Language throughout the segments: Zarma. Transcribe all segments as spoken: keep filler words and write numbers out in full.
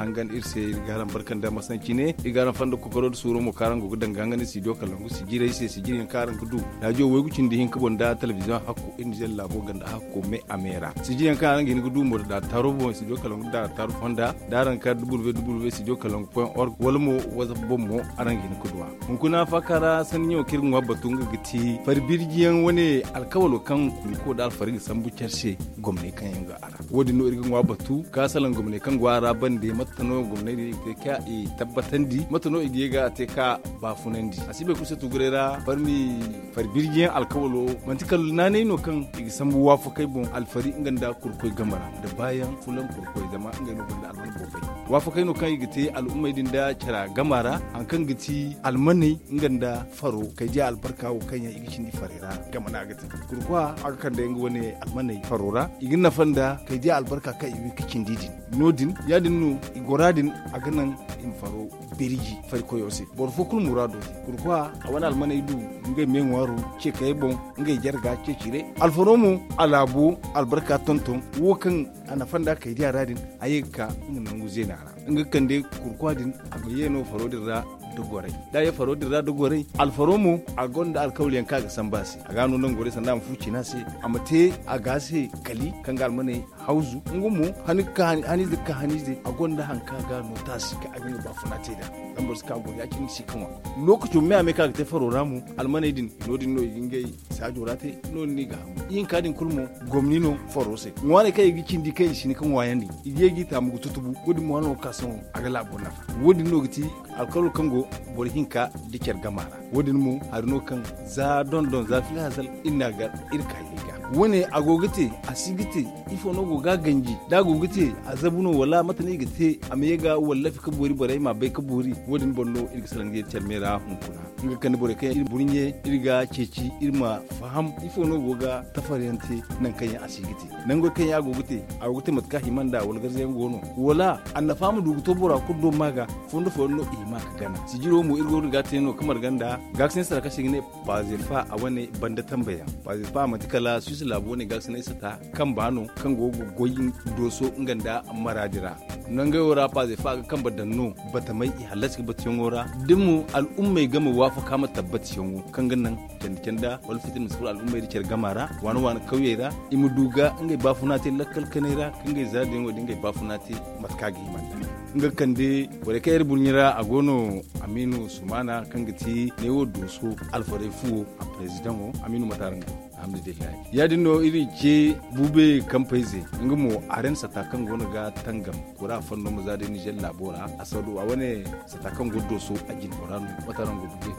hangan iri se. Iri ga araŋ barka nda masancine, iri ga araŋ fanda kokoro nda suuro mo kaŋ araŋ go ga daŋ ga hangan iri studio kalangu sijirey se sijiri yaŋ kaŋ araŋ ga du radio waygu cindi hinka boŋ nda telebiziyoŋ hakku iri nizer laabo ganda hakko me a me ra sijiri yaŋ kaŋ araŋ ga hin ga du mo da daataaro boŋ studio kalangu da daataaro fonda da araŋ ka www studio kalangu point org wala mo whatsapp boŋ mo araŋ ga hin ga du a. Hunkuna faaka ra sanni ɲaŋo kaŋ iri ga ŋwa batu nga ga ti fari birji yaŋ wane alkawalo kaŋ kunko da alfari ga sambu care se gomney kaŋ yaŋ ga a ra. Wo- din no iri ga ŋwa batu ka salaŋ gomney kaŋ go a ra bande mate no gomney din i ga te ka i tabbatandi mate no i ga ye ga a te ka baafunandi a si bay kulu se tuguray ra farmi fari birji yaŋ alkawalo manti kala naanay no kaŋ i ga sambu waafakey boŋ alfari nga nda kurkoy game ra nda baayaŋ fulaŋ kurkoy zama ngey no gonda alman boobay. Waafakey no kaŋ i ga te al'ummey din nda care game ra hari kaŋ ga ti almaney nga nda faro kay diya albarka wo kaŋ yaŋ i ga cindi farey ra game no a ga te. Kurkwa a ga kande nga wane almaney faro ra i ga nafa nda kay diya albarka kaŋ i ga cindi din. No- din ya- din no i gora din a ga naŋ i ma faro birji fari koyo se boro fo kulu muraado te. Kurkwa a wane almaney du ngey me ŋwaaro ceekayey boŋ ngey jarga ceecire alfaro mo a laabo albarka tonton wo kaŋ a nafa nda kay diya ra din a ye ga ka nga nangu zeena ra nga ga kande kurkwa din a ma ye no faro din ra da goray da a ye faro din ra da goray alfaro mo a gonda alkawal yaŋ kaŋ a ga samba a se a ga a no nangu goray sanda a ma fu cina se a ma te a ga se kali kaŋ ga almaney hawzu nga mo hanize ga ka hanize a gonda hari kaŋ a ga a no taasi kaŋ a ga nga baafuna te nd'a. Zama boro si ka a goy ya- cine si ga ŋwa lookaco me a me kaŋ a ga te faro ra mo almaney din no- din no i ga ngey saajo ra te no- din no i ga hagu ihinka din kulu mo gomni no faro se ŋwaaney kaŋ i ga cindi kaŋ i si hin ga ŋwaayandi i ga ye ga i taamu ga tutubu wo- din mo hala no ga ka sohõ a ga laabo nafa. Wo- din no ga ti alkawlo kaŋ go boro hinka da care gama ra wo- din mo hari no kaŋ za dondon za fila hazal iri n'a gar iri ka ye ga wo- ne a go ga te a si ga te ifo no go ga a ganji da a go ga te a zabu no wala mate no i ga te a ma ye ga wallafi ga boori borey m'a bay ga boori wo- din boŋ no iri ga salaŋ ga ye care me ra hunkuna nga ga kande borey kaŋ yaŋ iri burɲe iri ga ceeci iri ma faham ifo no go ga tafaryaŋ te nangu kaŋ yaŋ a si ga te nango kaŋ yaŋ a go ga te a go ga te mate kaŋ a hima nd'a wala garza yaŋ go no wala annafa ma du ga to bora kulu do ma ga fondo fooyaŋ no i hima ga gana sijiro mo iri go no ga a te no ga marga nd'a gaakasinay sara kaŋ se i ga ne pazefa a wane banda tambayaŋ pazefa manti kala suisse laabo wane gaakasinay sata kamba no kaŋ go ga goy dooso nga nda maraadi ra. Nangey wo ra pazefa ga kamba daŋ no batamey i hallasi ga batuyaŋo ra da mo al'ummey game waafaka ma tabbatiyaŋo kaŋ ga naŋ candi canda wala fitina ma si furo al'ummey da care gama ra waana waana kawyey ra i ma du ga ngey baafuna te lakkal kanay ra kaŋ ngey zaadiyaŋo da ngey baafuna te mate kaŋ a ga hima nd'a. Nga ga kande borey kaŋ iri burɲi ra a go no amiinu sumaana kaŋ ga ti neewo dooso alfarey fuwo a perezidaŋo amiinu mate araŋ go alhamdulillahi ya- din no iri ce buube kampey ze nga mo arensa ta kaŋ go no ga tangam kura fanno ma za day nizer laabo ra a saru a wane sata kaŋ go dooso a jine bora no mate araŋ go buube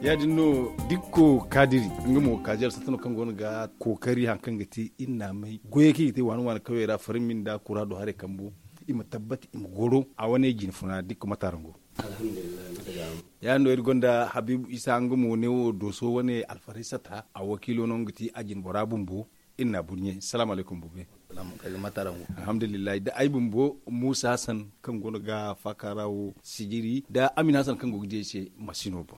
ya- din no dikko kaadiri nga mo kaaji alsata no kaŋ go no ga kookari hari kaŋ ga te iri naamay goyey kaŋ i ga te waani waani kawyey ra farmi nda kura do haray kambu i ma tabbati i ma goro a wane jine funa dikko mate araŋ go ya- din no iri gonda habiibu isa nga mo ne wo dooso wane alfarey sata a wakiilo no nga ti a jine bora bumbo iri n'a burɲe salaamu alaykum buube alhamdulillahi da ay bumbo muusa hasan kaŋ go no ga faaka ra wo sijiri da amin hasan kaŋ go ga di ay se masino boŋ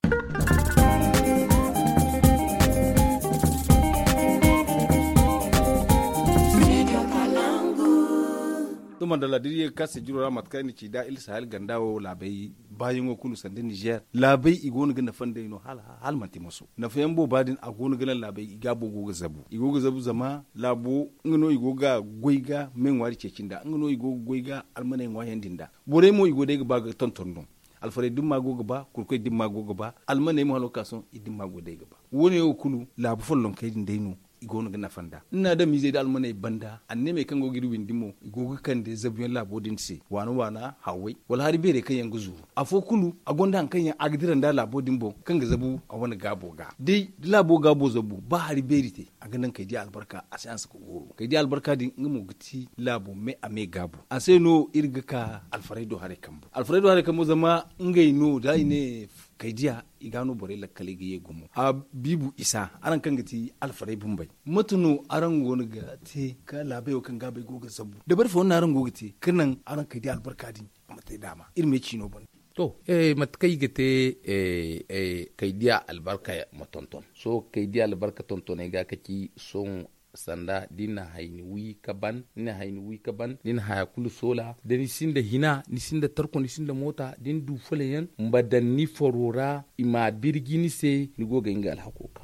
to mandala da iri ye ga ka sijiro ra mate kaŋ ay na ci da iri sahel ganda wo laabey baayaŋo kulu sanda nizer laabey i go no ga nafa nd'ey no hala manti moso nafayaŋ booba din a go no ga naŋ laabey i gaabo go ga zabu i go ga zabu zama laabo nga no i go ga goy ga me ŋwaari ceeci nd'a nga no i go ga goy ga almaney ŋwaayandi nd'a borey mo i go day ga ba ga tonton no alfarey dimma go ga ba kurkoy dimma go ga ba almaney mo hala ga ka sohõ i dimma go day ga ba wo- ne wo kulu laabu follonkey din day no i go no ga nafa nd'a ni na adamizey da almaney banda anneemey kaŋ go ga iri windi mo i go ga kande zabuyaŋ laabo din se waana waana hawway wala hari beerey kaŋ yaŋ ga zuru afo kulu a gonda hari kaŋ yaŋ a ga dira nd'a laabo din boŋ kaŋ ga zabu a wane gaabo ga day da laabo gaabo zabu ba hari beeri te a ga naŋ kay di albarka a si hanse ga gooru kay di albarka din nga mo ga ti laabo me a me gaabu a se no iri ga ka alfaraydo haray kambo alfaraydo haray kambo zama ngey no da i ne kay diya i ga no borey lakkaley ga ye gumo a biibu isa araŋ kaŋ ga ti alfarey bumbey mate no araŋ go no ga te ka laabey wo kaŋ gaabey go ga zabu dabari fo no araŋ go ga te ka naŋ araŋ kay diya albarka din a ma te daama iri me ciino boŋ to eh, mate kaŋ i ga te eh, eh, kay diya albarka ma tonton sohõ kay diya albarka tontoney ga ka ci sohõ Sanda da ni na hayni wi ka ban ni na hayni wi ka ban ni na haya kulu soola da ni sinda hina ni sinda tarko ni sinda moota da ni du fulayaŋ ma daŋ ni faro ra i ma a birji ni se ni go ga hin ga alhako ka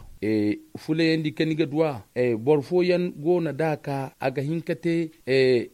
fulayaŋ di kaŋ ni ga du a boro fooyaŋ go no da a ka a ga hin ka te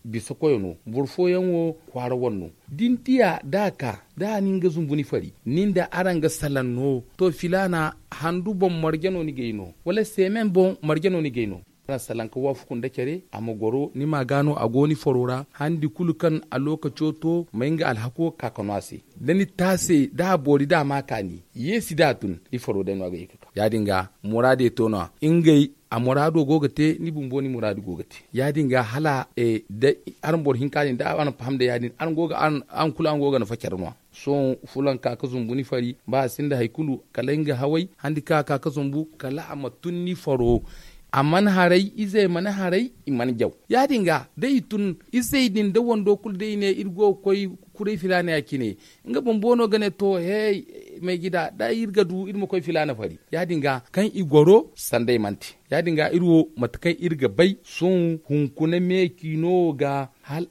bisa koyo no boro fooyaŋ wo kwaara wane no da ni diya da a ka da a na nga zumbu ni fari ni nda araŋ ga salaŋ no to filaana handu boŋ marje no ni g'ay no wala seemen boŋ marje no ni g'ay no araŋ salaŋ ka waafaku nda care a ma goro ni ma a ga no a go ni faro ra handi kulu kaŋ a lookaco to ma nga alhako ka ka no a se da ni taase da a boori da a ma a kaani yeesi da a tun ni faro day no a ga ye ka ka ya- din ga muraadey to no-ya ngey a muraado go ga te ni bumbo ni muraadu go ga te ya- din ga hala da araŋ boro hinka din da araŋ faham nda ya- din araŋ kulu araŋ go ga nafa care no-ya sohõ fulanka ka zumbu ni fari ba a sinda hari kulu kala nga haway handi kaŋ a ka ka zumbu kala a ma tun ni faro a mana haray izey mana haray i mana jaw ya- din ga da i tun izey din da wando kulu da i ne iri go ga koy kuray filaana ya cine nga bumbo no ga ne to hey maygida da iri ga du iri ma koy filaana fari ya- din ga kaŋ i goro sanda i mana te ya- din ga iri wo mate kaŋ iri ga bay sohõ hunkuna me ciino ga hala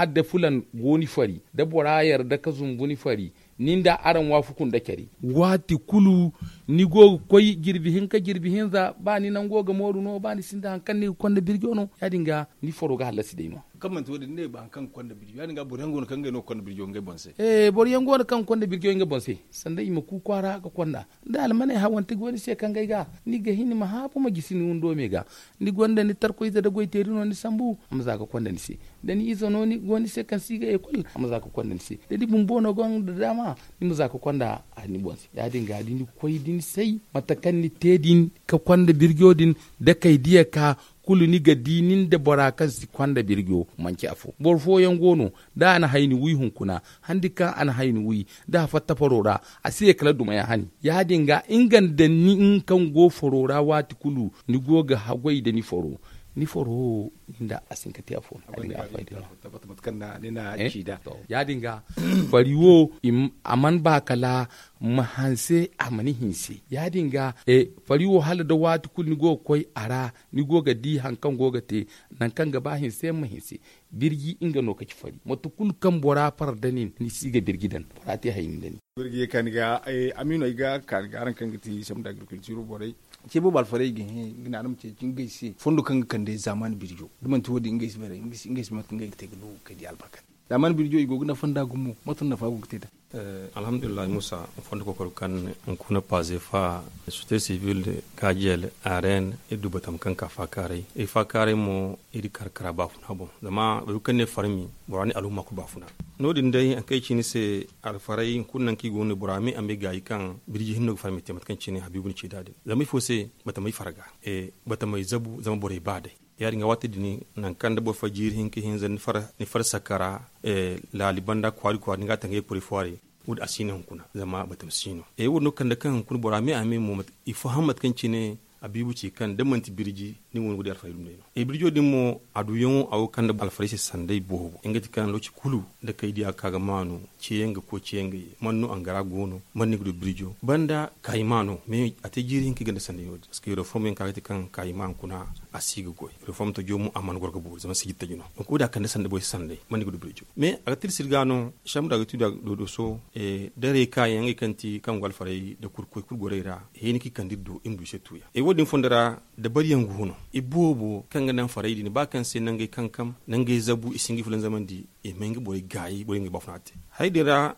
day fulan go ni fari da bora yarda ka zumbu ni fari ni nda araŋ waafaku nda care waati kulu ni go ga koy jirbi hinka jirbi hinza ba ni nango ga mooru no ba ni sinda hari kaŋ ni ga konda birjo no ya- din ga ni faro ga hallasi day no-ya kaŋ manti wo- din ni ne ba hari kaŋ ga konda birjo ya- din ga boro yaŋ go no kaŋ ga konda birjo ngey boŋ se sanda i ma ku kwaara ga konda da almaney hawante go ni se kaŋ ga ay ga ni ga hin ma haabu ma gisi ni windo me ga ni gonda ni tarkoyze nda goyteeri no ni sambu a ma za ga konda ni se da ni ize no go ni se kaŋ si ga ekol a ma za ga konda ni se da ni bumbo no gonda daama ni ma za ga konda a ni boŋ se ya- din ga da ni koy da ni say mate kaŋ ni te din ka konda birjo din da kay diya ka kulu ni ga di ni nda bora kaŋ si konda birjo manci afo boro fooyaŋ go no da a na hayni wi hunkuna handi kaŋ a na hayni wi da a fatta faro ra a si ye kala dumayaŋ hani ya- din ga nga nda nin kaŋ go faro ra waati kulu ni go ga haggoy nda ni faro ni faro wo ni nda a si hin ka te afo no a din ga a fayda no-ya ya- din ga fari wo a mana ba kala ma hanse a mana hinse ya- din ga fari wo hala da waati kulu ni go ga koy a ra ni go ga di hari kaŋ go ga te nangu kaŋ ga ba hinse ma hinse birji nga no ka ci fari mate kulu kaŋ bora far nda nin ni si ga birji daŋ bora te hayni nda nin birji ye ka ni ga amiino ay ga ka ni ga araŋ kaŋ ga ti sambu nda agriculture borey ce boobo alfarey ga hẽ ga naana ma ceeci ngey se fondo kaŋ ga kande zaamaani birjo da manti wo- din ngey si bare ngey si bare mate kaŋ ngey ga te ga du kay di albarka zaamaani birjo i go ga nafa nda gumo mate no nafa go ga te nd'a alhamdulillahi muusa fondo kokoro kaŋ hunkuna paaze fa société civile gaajiyel arène iri du batama kaŋ ka faakaaray iri faakaaray mo iri kar kara baafuna boŋ zama boro kaŋ ne farmi bora ne alhumma kulu baafuna no- din day hari kaŋ ay ci ni se alfaray hunkuna nangu kaŋ i go no bora me a me gaayi kaŋ birji hinno ga farmi te mate kaŋ cine habiibu ni ci nd'a din zama ifo se batamey farga batamey zabu zama borey ba day ya- din ga waati din nangu kaŋ da boro fo jiiri hinka hinza ni far sakara laali banda kwaari kwaari ni ga a tangay kuray fo a ra wo- din a si no hunkuna zama batama si no e wo- din no kande kaŋ hunkuna bora me a me mo i faham mate kaŋ cine habiibu ci kaŋ da manti birji ni go ni ga di alfarey dumi day no e birjo din mo a duyaŋo a go ga kande alfarey se sanday boobo nga ti kaŋ looci kulu da kay diya ga ka ga maanu ceeyaŋ ga koy ceeyaŋ ga ye man no angara go no man no ni ga du birjo banda kayima no mais a te jiiri hinka i gonda sanday no- din parce que reform yaŋ ka ga ti kaŋ kayima hunkuna a si ga goy reform tajo mo a mana goro ga boori zama sijir taji no donc wo- din a kande sanda borey se sanday man no ni ga du birjo mais a ga tirsi iri ga no sambu nda a ga ti nda doodo so da reeka yaŋ ngey kaŋ ti kaŋ go alfarey nda kurkoy kulu gorey ra hẽeni kaŋ i kande iri do iri ma du i se tuuyaŋ e wo- din fondo ra dabariyaŋ go no i boobo kaŋ ga naŋ farey din ba kaŋ se nangey kankam nangey zabu i si hin ga i fulanzamandi i ma hin ga borey gaayi borey ma ngey baafuna te hari din ra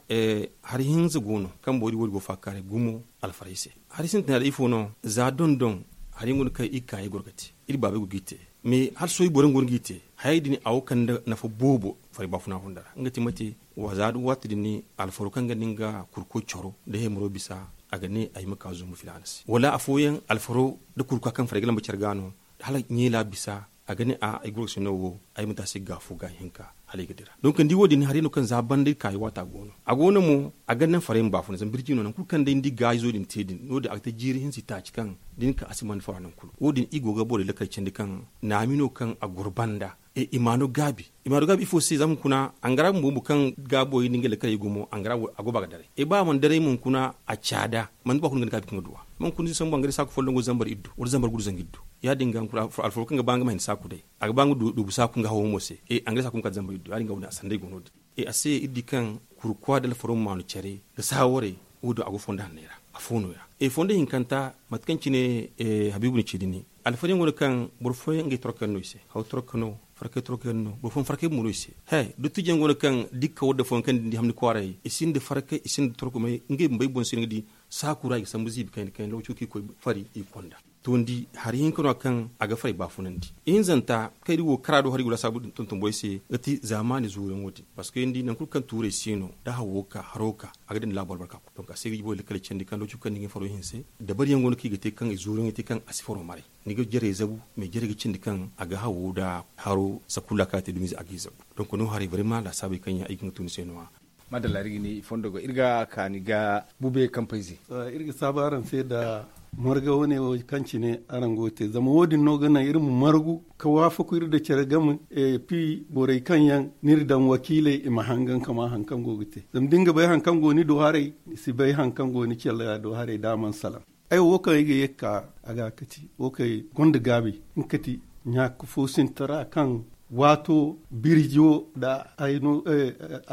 hari hinza go no kaŋ borey wo- din go faakaaray gumo alfarey se hari sintina day ifo no za dondon hari yaŋ go no kaŋ iri kaayey goro ga te iri baabey go g'i te mais hala sohõ i boro yaŋ go no g'i te hayey din a go kande nafa boobo farey baafuna funda ra nga ti mate za waati din alfaro kaŋ ga ni nga kurko coro nda heemaro bisa a ga ne ay ma ka zumbu filaana se wala afooyaŋ alfaro nda kurka kaŋ farey ga lamba care ga no hala ɲeela bisa a ga ne a ay goro ga si no wo ay ma te a se ga fo ga hinka hala ay ga dira donc ni di wo- din hari no kaŋ za banda iri kaayi waata go no a go no mo a ga naŋ farey ma baafuna zama birji no nangu kulu kaŋ day ni di gaayizo din te din no- din a ga te jiiri hinza itaaci kaŋ da ni ka a si man fara nangu kulu wo- din iri go ga borey lakkal candi kaŋ naami no kaŋ a goro banda i ma no gaabi i ma no gaabi ifo se zama hunkuna angara bumbo kaŋ gaabo i na ngey lakkal i gumo angara a go ba ga daray i ba a mana daray mo hunkuna a caada manti ba kulu ga ni gaabi kaŋ ga duw'a zama hunkuna da i sambu angara i saaku folloŋ go zambar iddu wala zambar gudu zangu iddu Ya- din ga alfaro kaŋ ga ba nga ma hin saaku day, a ga ba nga duubu saaku nga hawo mo se. Angare saaku ma kala zambar iddu ya- din ga wo- din a sanday go no- din. A se iri di kaŋ kurkuwa da alfaro ma maanu care ga saawaray. Wo- din a go fondo hanney ra. Afo no- ya fondo hinkanta mate kaŋ cine habiibu na ci din. Alfaro yaŋ go no kaŋ boro fooyaŋ ngey torko yaŋ no i se, haw torko no, farkay torko yaŋ no, boro fooyaŋ farkay bumbo no i se. He dottijo yaŋ go no kaŋ dikka wadda fooyaŋ kaŋ din di hamni kwaaray i sinda farkay i sinda torko may ngey bumbey boŋ se ni ga di. Saaku ra i ga sambu ziibi kayna kayna lokaco kaŋ i koy fari i ga konda. To ni di hari hinka no- ya kaŋ a ga faray baafunandi. Ihinzanta kaŋ iri wo kara do hari gura saabu din tonton boy se ga ti zaamaani zuuru yaŋo din. Parceque ni di nangu kulu kaŋ tuuray si no da hawo ga ka haro ga ka a ga daŋ ni laabo albarka kulu donk a se ga i boy lakkal candi kaŋ lokaco kaŋ ni ga ni faro hinse. Dabari yaŋ go no kaŋ i ga te kaŋ i zuuru yaŋ ga te kaŋ a si faro maray. Ni ga jaray zabu mais jaray ga cindi kaŋ a ga hawo nda haro sakulla kaŋ a te dumiize a ga i zabu. Donk no haray barima laasaabey kaŋ yaŋ ay ga nga tun ni se no- ya. Madalla iri ga ni fondo go iri ga kaani ga bube kampayze. Iri ga saabu araŋ se nda marga wane wo kaŋ cine araŋ go ga te zama wo- din no ga naŋ iri ma margu ka waafaku iri nda care game. Pi borey kaŋ yaŋ ni iri daŋ wakiiley i ma hangan ka ma hari kaŋ go ga te zama da ni ga bay hari kaŋ go ni do haray ni si bay hari kaŋ go ni care do haray da a mana salaŋ. Ay wo kaŋ ay ga ye ga ka a ga kati wo kaŋ gonda gaabi nga kati ɲaaka fo sintara kaŋ waato birjo nda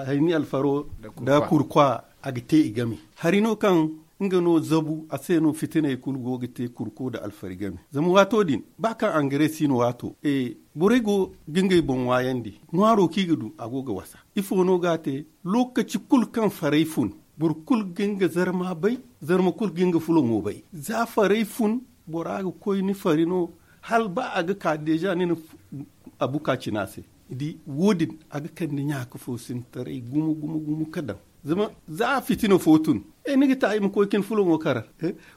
hayni alfaro nda kurkwa a ga te i game. Hari no kaŋ nga no zabu a se no fitiney kulu go ga te kurko nda alfari game. Zama waato din ba kaŋ angare si no waato borey go ga ngey boŋ waayandi ŋwaaro kaŋ i ga du a go ga wasa. Ifo no ga a te? Lokaci kulu kaŋ farey fun boro kulu ga nga zarma bay. Zarma kulu ga nga fulaŋo bay za farey fun bora ga koy ni fari no hala ba a ga ka deeza ni na abuka cina se. Ni di wo- din a ga kande ɲaaka fo sintaray gumo gumo gumo ka daŋ. Zama za a fitina fo tun ni ga ta i ma koy ka ni fulaŋo kara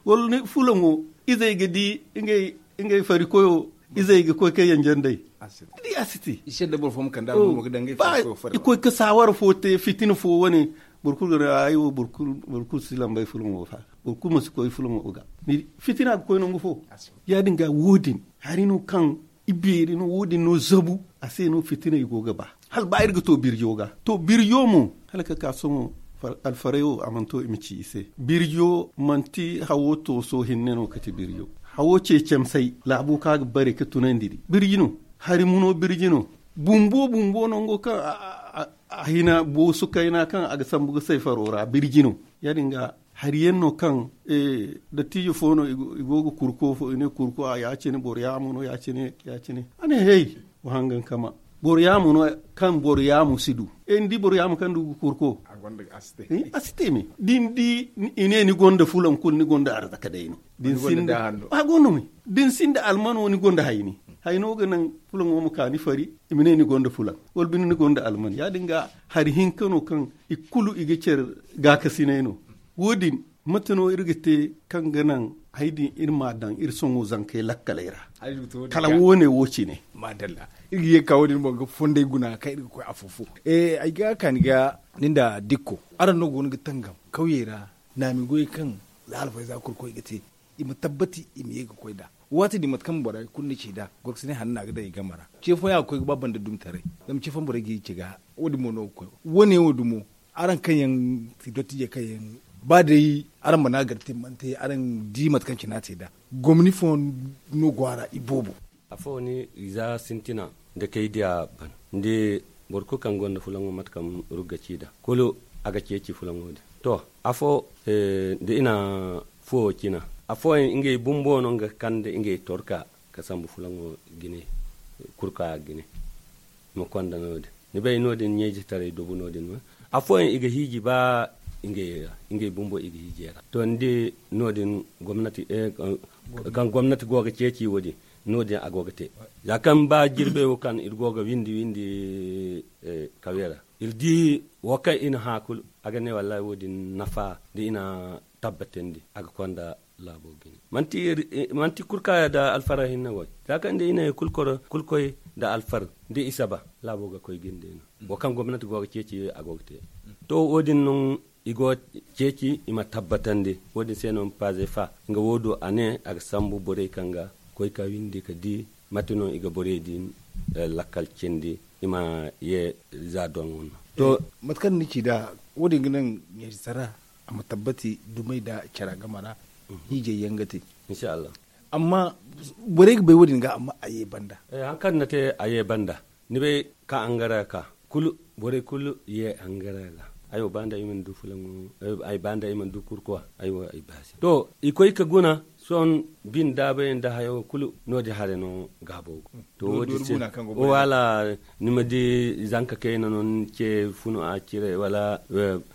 wala ni fulaŋo izey ga di ngey fari koyo izey ga koy ka yanjandey. Ni di a si te. I koy ka saawara fo te fitina fo wane boro kulu ga ne ay wo boro kulu si lambay fulaŋo fa boro kulu ma si koy fulaŋo ga. Fitina ga koy nangu fo. Ya- din ga wo- din hari no kaŋ i beeri no wo- din no zabu a se no fitina i go ga ba hala ba iri ga to birjo ga to birjo mo hala ka ka sohõ alfaray wo a mana to i ma ci i se. Birjo manti hawo tooso hinne no ka ti birjo. Hawo ceecamsay laabo kaŋ a ga bare ka tunandi di birji no. Hari muno birji no. Bumbo bumbo nango kaŋ a hina boosu kayna kaŋ a ga sambu ga say faro ra birji no. Ya- din ga hari yaŋ no kaŋ dattijo fo no i go ga kurko fo i ne kurko a ya- cine boro yaamo no ya- cine ya- cine a ne hey wa hangan kama boro yaamo no. Kaŋ boro yaamo si du ni di boro yaamo kaŋ du ga kurko a si te me da ni di i ne ni gonda fulaŋ kulu ni gonda arzaka day no. Da ni sinda a go no me da ni sinda almano ni gonda hayni hayno ga naŋ fulaŋo ma ka ni fari i ma ne ni gonda fulaŋ wala binde ni gonda alman ya- din ga hari hinka no kaŋ i kulu i ga care gaakasinay no. Wo- din mate no iri ga te kaŋ ga naŋ hari din iri ma a daŋ iri sohõ zankey lakkaley ra kala wo- ne wo cine. Madalla iri ga ye ga ka wo- din boŋ ga fonday guna kaŋ iri ga koy afo fo. Ay ga kaani ga ni nda dikko araŋ no go no ga tangam kawyey ra naami goyey kaŋ za alfayza kurkoy ga te i ma tabbati i ma ye ga koy nd'a. Waati din mate kaŋ borey kulu na ci nd'a gorkasinay hanna ga daŋ i game ra ce fooyaŋ a ga koy ga ba banda dumtaray. Zama ce fooyaŋ borey ga i ce ga wo- din mo no ga koy wo- ne wo dumo araŋ kaŋ yaŋ ti dottiijey kaŋ yaŋ ba day araŋ mana gar te mana te araŋ di mate kaŋ cine a te nd'a gomni fooyaŋ no go a ra iboobo. Afo ni za sintina nda kay diya ban nda boro kulu kaŋ gonda fulaŋo mate kaŋ rugga ci nd'a kulu a ga ceeci fulaŋo din. To afo nda i na fuwo cina afooyaŋ ngey bumbo no nga kande ngey torka ka sambu fulaŋo jine kurka jine. Ma konda no- din ni bay no- din ɲeejitaray dubu no- din ma afooyaŋ i ga hiiji ba ngey bumbo i ga hiiji yaŋ ra to ni di no- din gomnati kaŋ gomnati go ga ceeci wo- din no- din a go ga te. Za kaŋ ba jirbey wo kaŋ iri go ga windi windi kawye ra iri di wo kaŋ i na hã kulu a ga ne wallaahi wo- din nafa da i na tabbatandi a ga konda laabo ga ne manti kurkaaya nda alfara hinne goy za kaŋ da i na ye kulu koy nda alfar da i saba laabo ga koy ga ni day no. Wo kaŋ gomnati go ga ceeci a go ga te to wo- din no i go ceeci i ma tabbatandi wo- din se no paze fa nga wo- do a ne a ga sambu borey kaŋ ga koy ka windi ka di mate no i ga borey din lakkal cindi i ma ye za doŋo no. To mate kaŋ ni ci nd'a wo- din ga naŋ ɲeesi sara a ma tabbati dumey nda cara game ra hiijay yaŋ ga te. Insha allah. Amma borey ga bay wo- din ga amma a ye banda. Hari kaŋ ni na te a ye banda, ni bay ka angara ka kulu, borey kulu ye angara ga. Ay wo ba nda ay mana du fulaŋo, ay ba nda ay mana du kurkuwa. Ay wo ay ba se to i koy ka guna. Sohõ, bin daabay nda hayo kulu no- din hare no gaabo go. To wo- din se wala ni ma di zanka kayna no ni ce funu a cire wala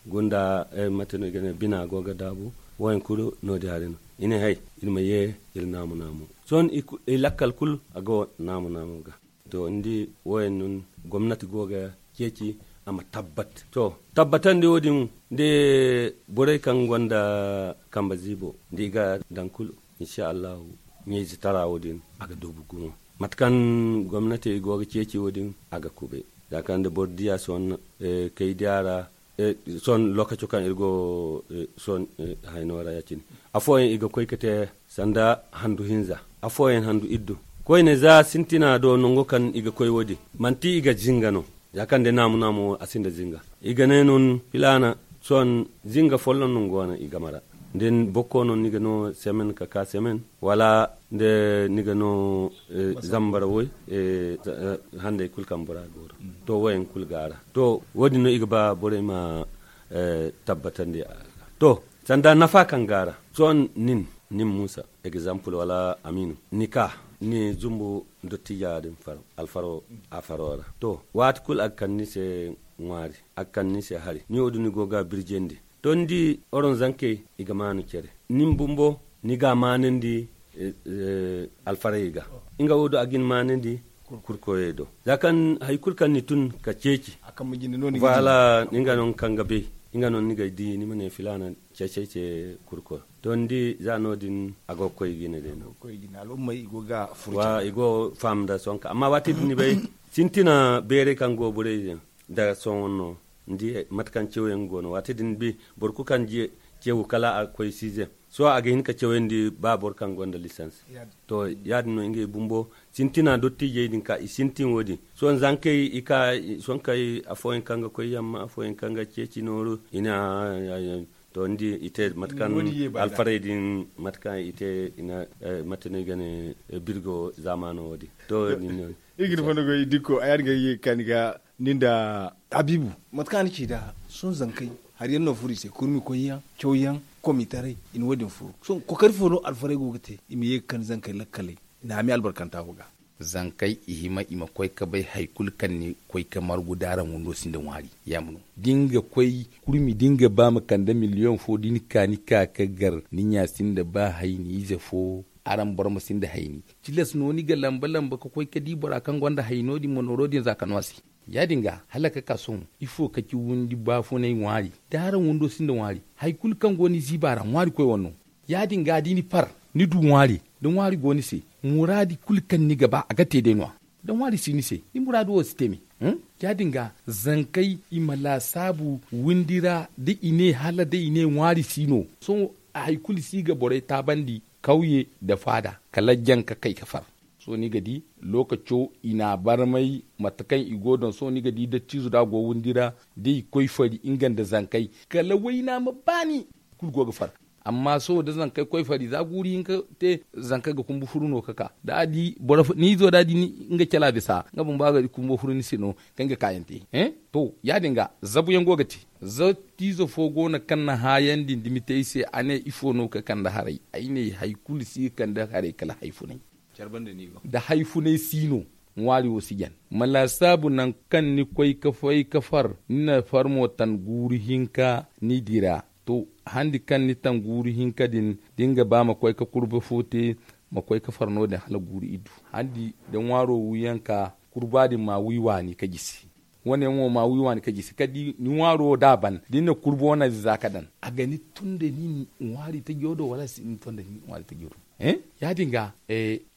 gunda mate no i ga ne bina go ga daabu. Wo- din kulu no- din hare no i ne hay, iri ma ye iri naamu naamu. Sohõ, i lakkal kulu a go naamu naamu ga. To ni di, wo- din no gomnati go ga ceeci a ma tabbat. To, tabbatandi wo- din de, borey kaŋ gonda kambe ziibo da i ga daŋ kulu, insa allahu, ɲayze tara wo- din a ga doobu gumo. Mate kaŋ gomnati go ga ceeci wo- din a ga kube. Za kaŋ da boro diya sohõ, kay diya ra, sohõ lokaco kaŋ iri go sohõ hayno ra ya- cine, afooyaŋ i ga koy ga te sanda handu hinza, afooyaŋ handu iddu. Koyne za sintina do nango kaŋ i ga koy wo- din, manti i ga zinga no. Za kaŋ day naamu naamu a sinda zinga, i ga ne no ni filaana. Sohõ, zinga folloŋ no ni go no i game ra. Da ni bokko no ni ga no semen ka ka semen, wala da ni ga no zambara woy, handay kulu kaŋ bora go ra. To, wo- din kulu ga a ra. To, wo- din no i ga ba borey ma tabbatandi a ga. To, sanda nafa kaŋ go a ra. Sohõ, nin, nin muusa, egzampul wala amiinu, ni ka ni zumbu dottija din faro, alfaro a faro ra. To, waati kulu a ga kande ni se ŋwaari, a ga kande ni se hari, ni wo- din ni go ga a birjandi. To, ni di, oron zankey, i ga maanu care. Nin bumbo, ni ga a maanandi alfarayey ga. Nga wo do a ga ni maanandi kurkoyey do. Za kaŋ hari kulu kaŋ ni tun ka ceeci, nga no ni kaŋ ga bay, nga no ni ga di ni ma ne filaana ceecey ce kurkoyo. To, ni di, za no- din a go ga koy jine day no. I go ga faama nda sohõ kaŋ amma waati din ni bay, sintina beerey kaŋ go borey din, da sohõ no, ni di mate kaŋ ceewo yaŋ go no waati din ni bay, boro kulu kaŋ ceewo kala a koy size. Sohõ a ga hin ka cawandi ba boro kaŋ gonda lisans. To, ya- din no ngey bumbo sintina dottijey din ka i sintin wo- din. Sohõ zankey i ka, sohõ kay afooyaŋ kaŋ ga koy yamma, afooyaŋ kaŋ ga ceeci nooru, i na to ni di i te mate kaŋ alfarey din, mate kaŋ i te i na mate no i ga ne birgo zaamaano wo- din. To, iri ga ni fondo goy dikko a ya- din ga ye ga kaani ga nin da habiibu. Mate kaŋ a na ci nd'a sohõ zankey hari yaŋ no furo i se kurmi koyyaŋ, cawyaŋ, komitaray, i na wo- din furo. Sohõ kokari fo no alfarey go ga te i ma ye ga kande zankey lakkaley i na hami albarkanta fo ga. Zankey i hima i ma koy ga bay hari kulu kaŋ ni koy ga margu da araŋ windo sinda ŋwaari. Ya ma no da ni ga koy kurmi da ni ga ba ma kande miliyoŋ fo da ni ka ni ka ga gar ni ɲa sinda ba hay ni ize fo. Araŋ boro ma sinda hayni. Tilas no ni ga lamba lamba ga koy ga di bora kaŋ gonda hay no- din ma nooro din za ga no a se. Ya- din ga hala ga ka sohõ ifo ga ci windi baafunay ŋwaari? Da araŋ windo sinda ŋwaari, hari kulu kaŋ go ni ziiba ra ŋwaari koy wane no. Ya- din ga da ni far, ni du ŋwaari, da ŋwaari go ni se, muraadi kulu kaŋ ni ga ba a ga te day no- ya. Da ŋwaari si ni se, ni muraadu wo si te me. Ya- din ga zankey i ma laasaabu windi ra da i ne hala day i ne ŋwaari si no. Sohõ hari kulu si ga borey taabandi kawye nda faada kala jaŋ ga kay ga far. Sohõ ni ga di, lookaco i n'a barmay mate kaŋ i go daŋ sohõ ni ga di dattiizo da a go windi ra, da i koy fari nga nda zankey, kala wayna ma baani. Kulu go ga far. Amma sohõ da zankey koy fari za guuru hinka te, zankey ga kumbu furu no ga ka da a di boro fo ni izo da a di nga cala bisa nga bumbo a ga di kumbo furu ni se no. Kaŋ ga kaayaŋ te. To, ya- din ga zabuyaŋ go ga te. Za tiizo fo go no kaŋ na haayandi nda mite ay se a ne ifo no ga kande haray? Ay ne hari kulu si ga kande haray kala hari funay. Da hari funay si no, ŋwaari wo si jan. Ma laasaabu nangu kaŋ ni koy ga fay ga far, ni na far mo tan guuru hinka ni dira. To, handi kaŋ ni tan guuru hinka din da ni ga ba ma koy ga kurba fo te, ma koy ga far no- din hala guuru iddu. Handi da ŋwaaro wi yaŋ ka kurba din ma wi waani ga jisi. Wane yaŋ wo ma wi waani ga jisi kala da ni ŋwaaro wo da a ban da ni na kurba wane za ga daŋ, a ga ni tun da ni ŋwaari tajo do wala a si ni tun da ni ŋwaari tajo do? Ya- din ga,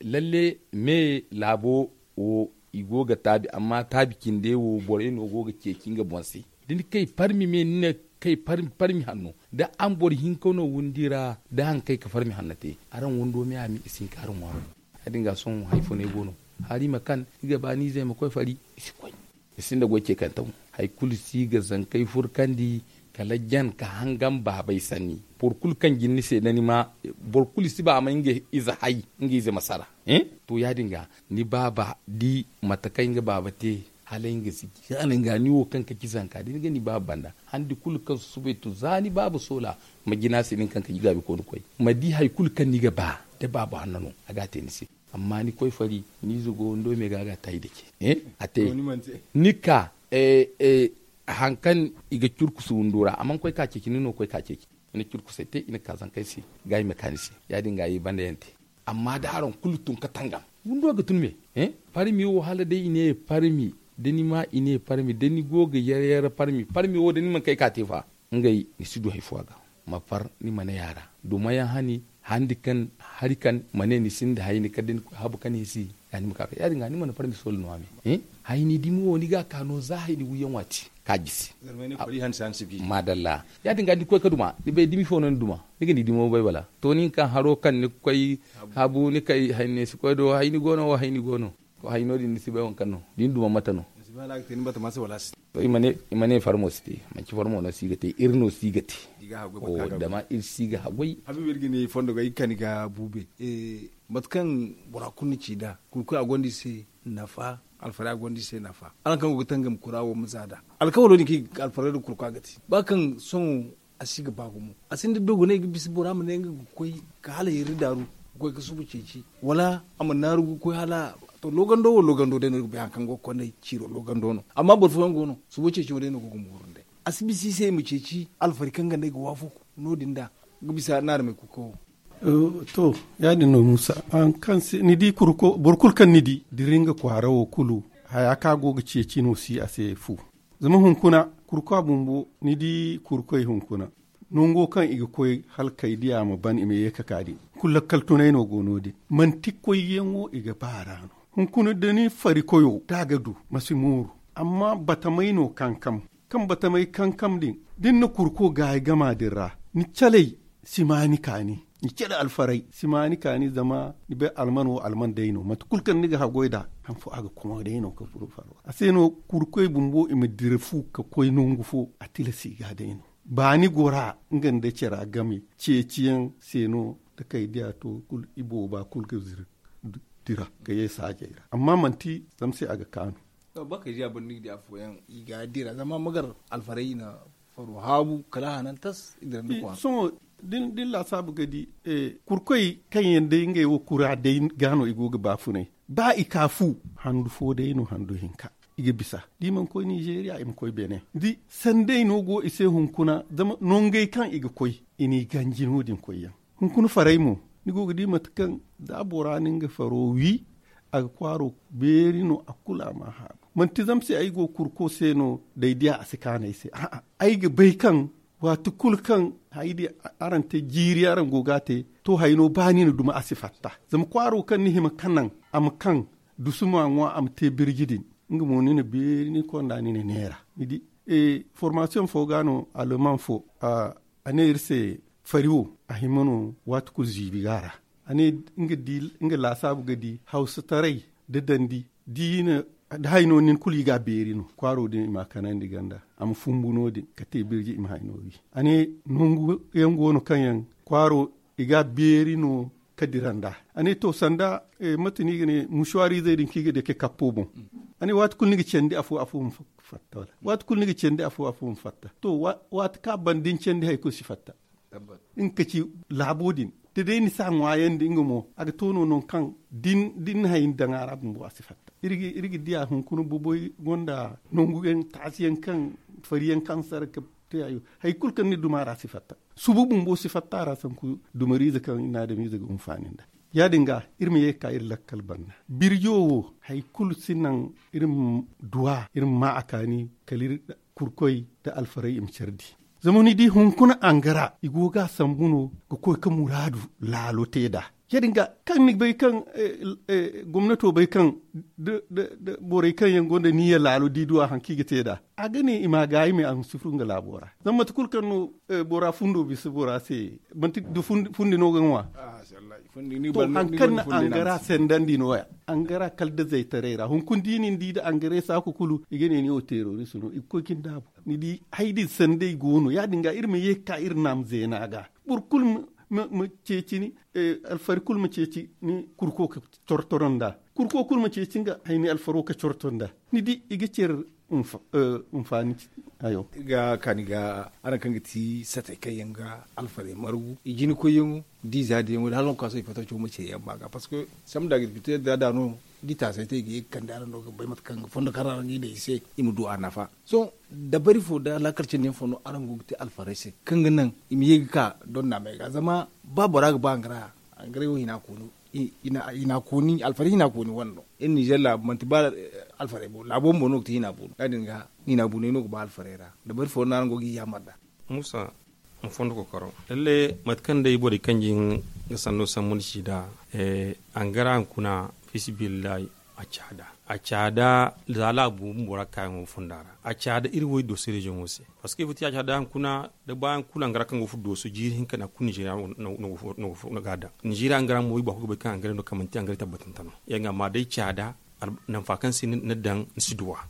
lalle me laabo wo i go ga taabi amma taabi cinde wo borey no go ga ceeci nga boŋ se. Da ni kay parmi me ni na kay parmi hanno da araŋ boro hinka no windi ra da haŋ kay ga parmi hanno te, araŋ wando me a mi i si hin ka araŋ ŋwaaro. Ya- din ga sohõ hari funay go no. Hari ma kan i ga ba ni ize ma koy fari, i si koy. I sinda goy ce kaŋ taw. Hari kulu si ga zankey furkandi kala jan ka hangan baabay sanni. Boro kulu kaŋ jin ni se da ni ma boro kulu si ba a ma nga ize hay, nga ize ma sara. To ya- din ga ni baaba di mate kaŋ nga baaba te, hala nga si hala nga ni wo kaŋ ka ci zanka da ni ga ni baaba banda handi kulu kaŋ susubay to za ni baaba soola, ma jina se nin kaŋ ka ji gaabi koonu koy, ma di hari kulu kaŋ ni ga ba da baaba hanno no, a ga a te ni se. Amma ni koy fari ni ize go wando me ga a ga a te ay dake. A te ni ka hari kaŋ i ga curku si windo ra a mana koy ka ceeci ni no ga koy ka ceeci. I na curku se te i na ka zankey se ga i ma ka ni se. Ya- din ga i banda yaŋ te. Amma da araŋ kulu tun ka tangam windo ga tun me. Parmi wo hala day i ne parmi da ni ma i ne parmi da ni go ga yar yar parmi parmi wo da ni mana kay ka te fa. Ngey ni si du hari fo a ga ma far ni ma ne a ra. Duma yaŋ hani handi kaŋ hari kaŋ ma ne ni sinda hayni kala da ni koy habu kaŋ ni si. Ya- din ga ni mana parmi soola no a me. Hayni dumi wo ni ga a ka no za hayni wiyaŋ waati ka jisi. Maadalla. Ya- din ga ni koy ka duma ni bay dumi fo no ni duma ni ga ni dumi wo bay bala. To nin kaŋ haro kaŋ ni ga koy habu ni kay hayni si koy do hayni go no wo hayni go no. Ko hay no- din ni si bay waŋ kaŋ no da ni duma mate no. I ma ne farmo si te manci farmo no si ga te iri no si ga te. Zama iri si ga hagway. Habibu iri ga ni fondo ga iri kani ga buube. Mate kaŋ bora kulu ni ci nd'a kurkoy a gonda iri se nafa. Alfaray a gonda iri se nafa. Araŋ kaŋ go ga tangam kura wo ma za nd'a alkawalo din kaŋ iri ga alfaray nda kurkoy a ga te ba kaŋ sohõ a si ga ba gumo. A sinda dogonay ga bisa bora ma ne nga ga koy ka hala yari daaru ga koy ga suba ceeci wala a ma naaru ga koy hala. To loogando wo loogando day no iri ga bay hari kaŋ go ga kondey ciiro loogando no. Amma boro fooyaŋ go no suba ceeci wo day no go ga mooru nd'ey. A si bisa i se i ma ceeci alfari kaŋ ga ne ay ga waafaku no- din nd'a ga bisa naarumey kuuko wo. To ya- din no muusa. Ni di boro kulu kaŋ ni di dira nga kwaara wo kulu haya kaŋ a go ga ceeci no si a se fu. Zama hunkuna kurkoy bumbo ni di kurkoy hunkuna nango kaŋ i ga koy hala kay diya ma ban i ma ye ka ka din. Kulu lakkal tunay no go no- din manti koyyaŋo i ga ba a ra no. Hunkuna da ni fari koyo da a ga du ma si mooru. Amma batamay no kankam kaŋ batamay kankam din da ni na kurko gaayi gama din ra ni calay si ma ni kaani. Ni cere alfaray si ma ni kaani zama ni bay alman wo alman day no mate kulu kaŋ ni ga haggoy nd'a. Han fo a ga kuma day no ka furo faro a se no kurkoy bumbo i ma dira fu ka koy nangu fo a tilasi ga day no. Baani gora nga nda cara game ceeciyaŋ se no da kay diya to kulu i booba kulu ga zira dira ka ye saajey ra amma manti zama se a ga kaanu. Bakay diya boro ni ga di afooyaŋ i ga dira zama magar alfaray i na faro haabu kala a hanan tas i dira nda kwaara. Sohõ da ni laasaabu ga di kurkoy kaŋ yaŋ day ngey wo kura day ga no i go ga baafunay ba i ka fu handu fo day no handu hinka. I ga bisa da i mana koy ninzeeriya i ma koy beene da sanday no go i se hunkuna zama nongey kaŋ i ga koy i n'i ganji no- din koyyaŋ. Hunkuna faray mo ni go ga di mate kaŋ da bora na nga faro wi a ga kwaaro beeri no a kulu a ma a haabu. Manti zama se ay go kurko se no da ay diya a si kaanu ay se a'a ay ga bay kaŋ waati kulu kaŋ haya din araŋ te jiiri araŋ go ga a te to hayno ba ni na duma a si fatta. Zama kwaaro kaŋ ni hima ka naŋ a ma kaŋ dusu ma ŋwa a ma te birji din nga mo ni na beeri ni konda ni na neera ni di. Formasiyoŋ fo ga no aleman fo a ne iri se fari wo a hima no waati kulu ziibi ga a ra. A ne nga laasaabu ga di hawsataray da dandi da i na da hayno nin kulu i ga a beeri no kwaaro din i ma a kanandi ganda a ma fumbu no- din ka te birji i ma hayno wi. A ne nangu yaŋ go no kaŋ yaŋ kwaaro i ga a beeri no ka dira nd'a. A ne to sanda mate no i ga ne musuwaarizey din kaŋ i ga dake kappo boŋ. A ne waati kulu ni ga candi afo afo ma fatta wala waati kulu ni ga candi afo afo ma fatta to waati kaŋ a ban da ni candi hari kulu si fatta. Nga ka ci laabo din da day ni si a ŋwaayandi nga mo a ga to no nangu kaŋ da ni na hay ni daŋ a ra bumbo a si fatta. Iri ga diya hunkuna boboy gonda nangu yaŋ taasi yaŋ kaŋ fari yaŋ kaŋ sara ka te hayo hari kulu kaŋ ni duma ra si fatta. Subu bumbo si fatta a ra sanku dumariize kaŋ ni na adamiize ga hunfaani nda ya- din ga iri ma ye ga ka iri lakkal banda birjo wo hari kulu si naŋ iri ma duwa iri ma ma a kaani kala iri kurkoy nda alfaray i ma care di. Zama ni di hunkuna angara i go ga a sambu no ga koy ga muraadu laalo te nd'a. Ya- din ga kaŋ ni bay kaŋ gomnato bay kaŋ da borey kaŋ yaŋ gonda niyya laalo da i duwa hari kaŋ i ga te nd'a a ga ne i ma a gaayi me a ma si furo nga laabo ra. Zama mate kulu kaŋ no bora fundo bisa bora se manti da fundi no ga ŋwa. To, hari kaŋ na angara sendandi no- ya, angara kala da zaytaray ra hunkuna da i na ni di nda angaray saaku kulu, i ga ne ni wo terorist no, i ga koy ga ni daabu. Ni di, hari din sanday go no ya- din ga iri ma ye ga ka iri naama zeena ga. Boro kulu ma ceeci ni, alfari kulu ma ceeci ni kurko ga cortoro nd'a. Kurko kulu ma ceeci nga hayni alfaro ga corto nd'a. Ni di, i ga care. Hinfaani hayo. Ga kaani ga araŋ kaŋ ga ti satay kaŋ yaŋ ga alfarey margu i jina koyyaŋo, da i za diyaŋo da hala waŋ kaŋ a sohõ i fatta caw ma ce yamma ga parceque sambu da agriculture da da no, da i taasay te i ga ye ga kande araŋ no ga bay mate kaŋ ga fondo kaŋ ra araŋ ga i daŋ i se, i ma du a nafa. Sohõ dabari fo da laakal cindi yaŋ fo no araŋ go ga te alfarey se kaŋ ga naŋ i ma ye ga ka donnaamey ga zama ba bora ga ba angara, angaray wo hina kooni, alfari hina kooni wane no. Iri ninzeer laabu manti ba alfarey bo laabo bumbo no ga te hina boonu ya- din ga hina booney no ga ba alfarey ra. Dabari fo no araŋ go ga i yaamar nd'a. Muusa, ma fondo kookaro lalle mate kaŋ day borey kaŋ jin ga sanno sambu ni ci nd'a. Angara hunkuna, fiisabilillahi, a caada. A caada za laabu bumbo ra kaayaŋo fonda ra. A caada iri wo iri dooso reziyoŋo se. Parceque ifo ti a caada hunkuna, da baayaŋ kulu angara kaŋ go ga furo dooso jiiri hinka no a kulu ninzeeriya no go ga a daŋ. Ninzeeriya angara mo i ba kulu ga bay kaŋ angara no kaŋ manti angara tabbatante no. Yaŋ ga amma day caada, nanfa kaŋ se ni na daŋ ni si duw'a.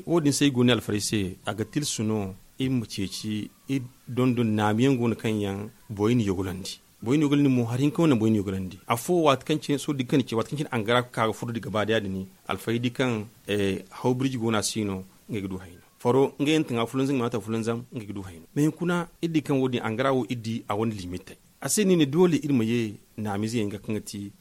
Wo- din se ay go no alfarey se a ga tilasu no iri ma ceeci iri dondon naamiyaŋ go no kaŋ yaŋ borey na yogalandi. Borey na yogalandi mo hari hinka wane borey na yogalandi afo waati kaŋ cine sohõ da i ga kande ce waati kaŋ cine angara ga ka ga furo da gaba da ya- din alfarey di kaŋ hawbirji go no a si no. Ngey ga du hayno faro ngey yaŋ taŋa fulanzam ngey ma a ta fulanzam ngey ga du hayno mais hunkuna iri di kaŋ wo- din angara wo iri di a wane limitey. A se no i ne doole iri ma ye naamize yaŋ ga kaŋ ga ti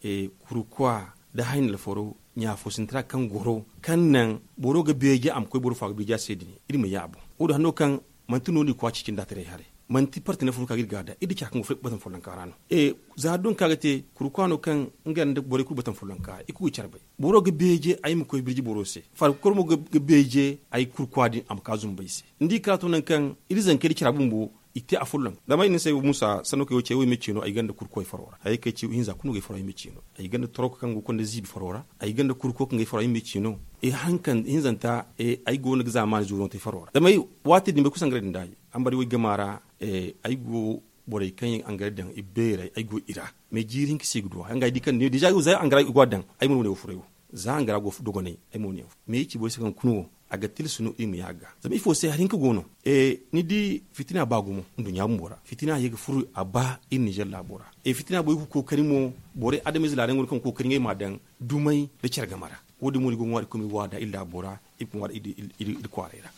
kurkwa nda hayni alfaro ɲaafo sintina kaŋ goro kaŋ naŋ boro ga beeje a ma koy boro fo a ga beeje a se din iri ma ye a boŋ. Wo- din hano kaŋ manti no no i kwaci cindi a taray haray. Manti partenaire fo no ka ga iri gaada iri di care kaŋ go fo iri ga batan follonka ra no. Za don kaŋ a ga te kurkwa no kaŋ nga nda borey kulu batan follonka ra i kulu ga care bay. Boro ga beeje ay ma koy birji boro se. Farkukor mo ga beeje ay kurkwa din a ma ka zumbu ay se. Ni di kala to nangu kaŋ iri zankey da cara bumbo i te a folloŋ. Zama ay ne ni se ay wo muusa sanno kaŋ ay wo ce ay wo ay me ce no ay ganda kurko ay faro ra hayey kaŋ ay ci ihinza kulu no ga ay faro ay me ce no. Ay ganda toroko kaŋ go ga konda ziibi faro ra. Ay ganda kurko kaŋ ga ay faro ay me ce no. Ihinzanta ay go no ga zaamaani zoono te faro ra zama ay waati din bay kulu sangaray din da ay ambari wo ay gama ra. Ay go borey kaŋ yaŋ angare daŋ i beeray ay go i ra. Mais jiiri hinka se i ga duw'a nga ay di kaŋ ne deeza ay wo za angara i go a daŋ. Ay mo no wane wo furay wo za angara go dogonay. Ay mo no yaŋ fo mais ay ci borey se kaŋ kuna wo a ga tilasu no i ma ye a ga zama ifo se hari hinka go no. Ni di fitina ba gumo nduɲɲa bumbo ra fitina ye ga furo a ba iri ninzeer laabo ra. Fitina borey ga kookari mo borey adamize laada yaŋ go no kaŋ ga kookari ngey ma a daŋ dumey nda care game ra. Wo- din mo no i go ga ŋwaari ga koy ma iri waada iri laabo ra iri ga ŋwaari iri kwaaray ra.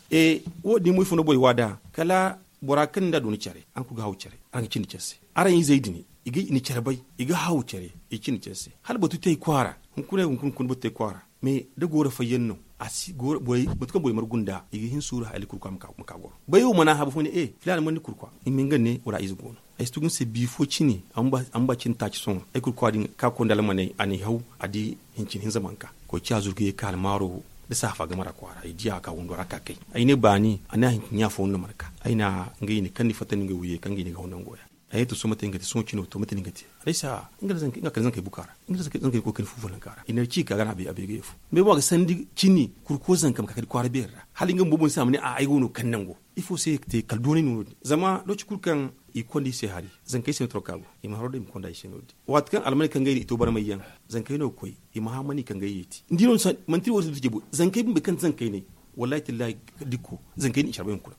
Wo- din mo ifo no borey waada kala bora kaŋ ni nda a du ni care araŋ kulu ga haw care araŋ ga cindi care se. Araŋ izey din i ga i na care bay i ga haw care i cindi care se. Hala batu te ay kwaara hunkuna hunkuna hunkuna batu te ay kwaara. Mais da gooro fayyaŋ no a si gooro borey mate kaŋ borey margu nda i ga hin suuru hala kurkwa ma ka goro bay wo mana habu fo ne e filaana mana ni kurkwa. I ma nga ne wala ize go no. Ay si tugu ni se biifo cine a ma ba cine taaci sohõ ay kurkwa din ka konda almaney a n'ay haw a di hincin hinza mana ka koy ciya zuru ga ye ka almaaro nda saafa game ra kwaara ay di a ka windo ra ka kay. Ay ne baani a ne a hincin ɲa fo no mana ka ay na ngey ne kaŋ ni fatta no ngey wo ye kaŋ ga i ne ga haw nango ya. Ay ne to sohõ mate no ni ga te sohõ cino to mate no ni ga te. Alaysa nga nda zankey buka ra nga nda zankey koy kani fu folonka ra i na ci ka ga no a bay ga ye fu. Mais mo a ga sandi cini kurko zanka ma ka kani kwaara beeri ra hala nga bumbo boŋ se a ma ne a ay go no kaŋ nango. Ifo se ga te kala doonay no no- din zama looci kulu kaŋ i ga konda i se hari zankey se no toroka go i ma haro day i ma konda i se no- din. Waati kaŋ almaney kaŋ ga ay no i to barmay yaŋ zankey no ga koy i ma hã mana i kaŋ ga ay yeeti ni di no manti wo- din da jabo zankey bumbo kaŋ ti zankey ne. Wallahi tallahi dikko zankey no i care bay hunkuna.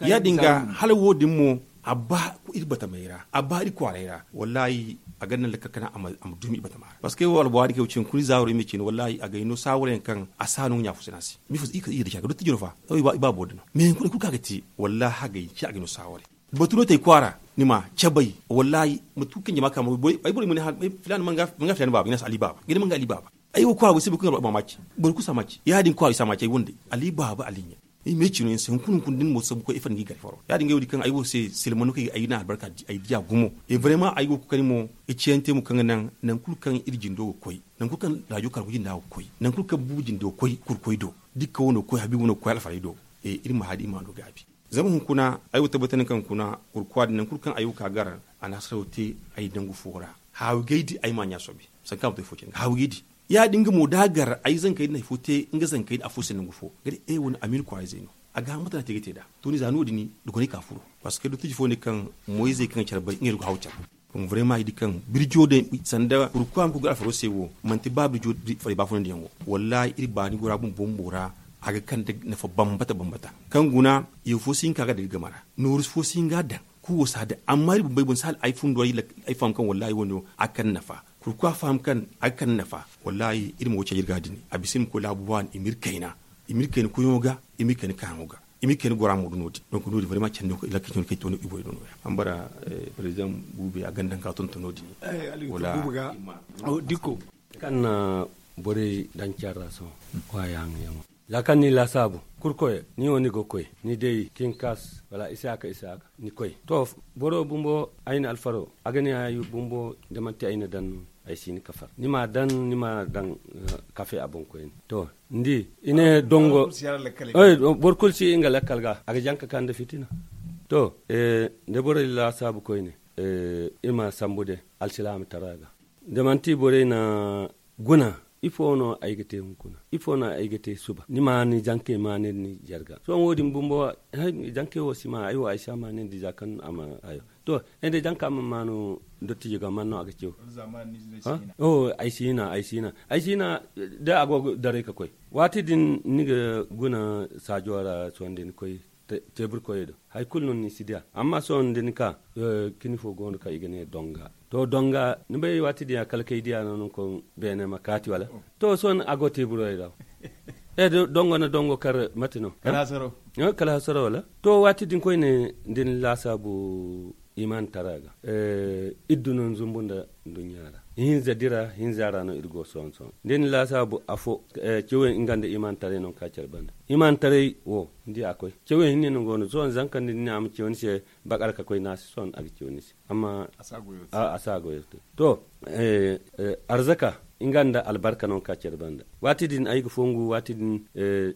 Ya- din ga hala wo- din mo a ba iri batamey ra a ba iri kwaaray ra wallahi a ga naŋ lakkal kana a ma dumi iri batama ra parceque wo albowaari kaŋ ay wo cine hunkuna i zaawaro i ma cine wallahi a ga ay no saawaro yaŋ kaŋ a si hã no nga ɲaafo sina se. Mifo se iri ka iri da care ga dotti jino fa i ba boro din no mais hunkuna kulu kaŋ a ga te wallahi hagay ci a ga ay no saawaro. Batu no te ay kwaara ni ma cabay wallahi mate kulu kaŋ jama ka ma goy ay borey ma ne filaana manga filaana baaba i ne a se ali baaba ga ne manga ali baaba. Ay wo kwaara boro si bay kulu ga alba ma ci boro kulu si a ma ci ya- din kwaara i si a ma ci ay wande ali baaba ali ɲa. Ay ma ay cino yaŋ se hunkuna hunkuna da ni mo sabu koy ay fanda ga ay gar faro ya- din ga ay wo- din kaŋ ay wo se silmano kaŋ ay na albarka ay di a gumo. Vraiment ay go ga kookari mo ga ciyante mo kaŋ ga naŋ nangu kulu kaŋ iri jindo ga koy nangu kulu kaŋ raajo kargo jinda ga koy nangu kulu kaŋ buubu jindo ga koy kurkoy do. Dikka wano ga koy habiibu wano ga koy alfarey do. Iri ma haadi iri ma no gaabi. Zama hunkuna ay wo tabbatandi kaŋ hunkuna kurkwa din nangu kulu kaŋ ay wo ka gar a na hasaraw te ay dangu fo ra. Haawi gay di ay ma ɲa sobe sanka ma to ifo cine ga haawi gay di. Ya- din ga mo da a gar ay zankey din hari fo te nga zankey din afo se nangu fo ga di e wane amiina kwaara izey no. A ga hã mate no a te ga te nd'a. To ni za no- din dogonay ka furo parceque dottiji fo ne kaŋ moyizey kaŋ ga care bay ngey no ga haawi care. Kuma vraiment i di kaŋ birjo din sanda kurkuwa ma koy ga alfaro se wo, manti ba birjo faray ba funandiyaŋo. Wallahi iri baani gora bumbo ra a ga kande nafa bambata bambata. Kaŋ guna, yeefo si hin ka ga daga game ra, nooru fo si hin ga a daŋ. Kuwo si a daŋ. Amma iri bumbey boŋ si hala ay fundo ay faham kaŋ wallahi wo- ne wo a ga kande nafa. Kurkuwa faham kaŋ a ga kande nafa. Wallahi iri ma wo caji iri ga din a bisa iri ma koy laabu waani i ma iri kayna, i ma iri kayna koyŋo ga, i ma iri kayna kaayaŋo ga, i ma iri kayna gora mo do no- din. Donc no- din vraiment candi no kaŋ iri lakka cindi no kaŋ iri to no iri borey do no- ya. Ambara, president buube a ganda nga tonton no- din. Wala dikko kaŋ na borey daŋ care ra sohõ. Kwaya haŋyaŋo za kaŋ ni laasaabu kurkoy, ni wo ni ga koy ni day kinkas wala isaaka isaaka ni koy to. Boro bumbo ay na alfaro a ga ne ay bumbo da manti ay na daŋ no, ay si ni kafar ni ma daŋ ni ma daŋ kafe a boŋ koyne. To ni di i ne dongo boro kulu si nga lakkal ga a ga jaŋ ka ka nda fitina. To da borey laasaabu koyne iri ma sambu day alsilaama tara ga. Da manti borey na guna ifo no ay ga te hunkuna? Ifo no ay ga te suba ni ma ni jankey ma ne ni jarga sohõ wo- din bumbo. Jankey wo si ma ay wo ay si a ma ne ni za kaŋ a ma hayo. To ay day jaŋ ka ma maanu dottijo ga man no a ga cew. Ay si hina ay si hina ay si hina da a go ga daray ka koy. Waati din ni ga guna saajo ra sohõ da ni koy teebur koyey do hari kulu no ni si diya. Amma sohõ da ni ka kini fo go no kaŋ i ga ne donga. To donga ni bay waati din ya kala kay diya no ni koy beene ma kaati wala? To sohõ a go teeburey ra. Dongo na dongo kar mate no? Kala hasara wala? To waati din koyne da ni laasaabu imaani tara ga. Iri du no ni zumbu nda nduɲɲa ra. Hinza dira hinza ra no iri go sohõ sohõ da ni laasaabu afo. Cewey nga nda imaani taray no ka care banda imaani taray wo ni di a koy. Cewey hinne no go no sohõ zanka nda ni ne a ma cew ni se. Bakar ka koy no a si sohõ a ga cew ni se. Amma a si a goyo te to. Arzaka nga nda albarka no ka care banda waati din ay ga fongu waati din.